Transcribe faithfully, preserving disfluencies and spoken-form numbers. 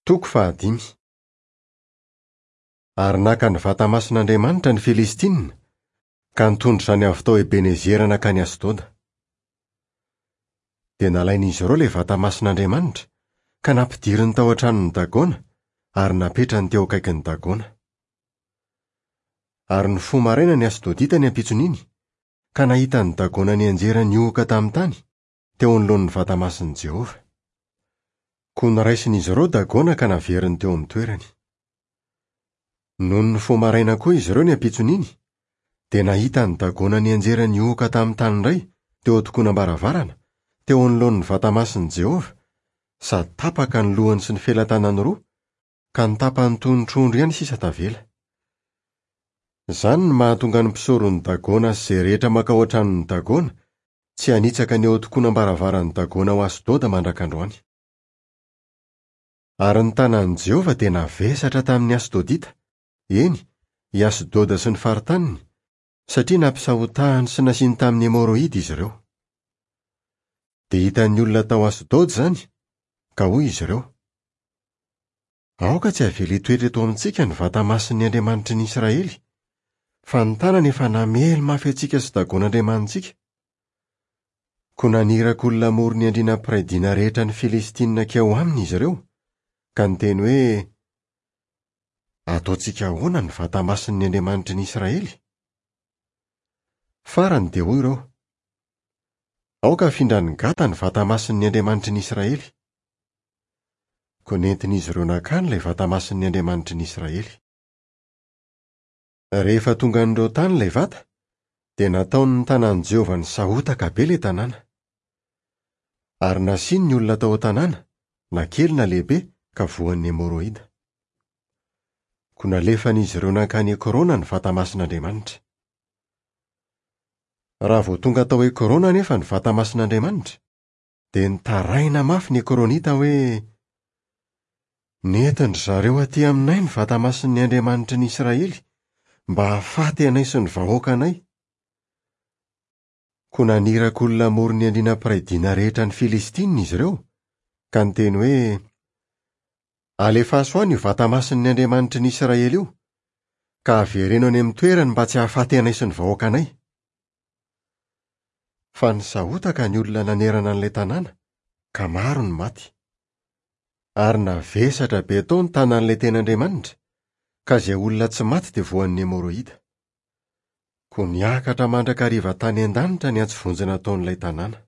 Toko fahadimy. Ary naka ny vata masin'Andriamanitra ny Filistinina, ka nitondra izany avy tao Ebenezera nankany Asdoda. Dia nalain'izy ireo ilay vata masin'Andriamanitra, ka nampidiriny tao an-tranon'i Dagona ary napetrany teo akaikin'i Dagona. Ary nifoha maraina ny Asdodita ny ampitson'iny, ka nahita an'i Dagona nianjera nihohoka tamin'ny tany, teo anoloan'ny vata masin'i Jehovah. Koa noraisin'izy ireo Dagona ka naveriny teo amin'ny toerany. Nony nifoha maraina koa izy ireo ny ampitson'iny, dia nahita an'i Dagona nianjera nihohoka tamin'ny tany indray teo an-tokonam-baravarana, teo anoloan'ny vata masin'i Jehovah, sady tapaka ny lohany sy ny felatanany roa, ka ny tapany toy ny trondro ihany sisa tavela. Izany no mahatonga ny mpisoron'i Dagona sy izay rehetra mankao an-tranon'i Dagona tsy hanitsaka ny eo an-tokonam-baravaran'i Dagona ao Asdoda mandrak'androany. Ary ny tanan'i Jehovah dia navesatra tamin'ny Asdodita, eny, i Asdoda sy ny faritaniny, satria nampisahotahany sy nasiany tamin'ny hemoroida izy ireo. Dia hitan'ny olona tao Asdoda izany, ka hoy izy ireo: Aoka tsy havela hitoetra eto amintsika ny vata masin'ny Andriamanitry ny Israely, fa ny tanany efa namely mafy antsika sy Dagon'Andriamanitsika. Koa naniraka olona hamory ny andriana mpiray dina rehetra ny Filistinina hankeo aminy izy ireo, ka niteny hoe: Ataontsika ahoana ny vata masin'ny Andriamanitry ny Israely? Farany dia hoy ireo: Aoka hafindran'i Gata ny vata masin'ny Andriamanitry ny Israely. Koa nentin'izy ireo nankany ilay vata masin'ny Andriamanitry ny Israely. Rehefa tongan'ireo tany ilay vata, dia nataon'ny tanan'i Jehovah nisahotaka be ilay tanàna. Ary nasiany ny olona tao an-tanàna, na kely na lehibe, ka voan'ny hemoroida. Koa nalefan'izy ireo nankany Ekrona ny vata masin'Andriamanitra. Raha vao tonga tao Ekrona anefa ny vata masin'Andriamanitra, dia nitaraina mafy ny Ekronita hoe: Nentin-dry zareo aty aminay ny vata masin'ny Andriamanitry ny Israely mba hahafaty anay sy ny vahoakanay. Koa naniraka olona hamory ny andriana mpiray dina rehetra ny Filistinina izy ireo, ka niteny hoe: Alefaso any io vata masin'ny Andriamanitry ny Israely io, ka avereno any amin'ny toerany mba tsy hahafaty anay sy ny vahoakanay. Fa nisahotaka ny olona nanerana an'ilay tanàna, ka maro ny maty. Ary navesatra be tao ny tanan'ilay tena Andriamanitra, ka izay olona tsy maty dia voan'ny hemoroida. Koa niakatra mandrakariva tany an-danitra ny antso vonjy nataon'ilay tanàna.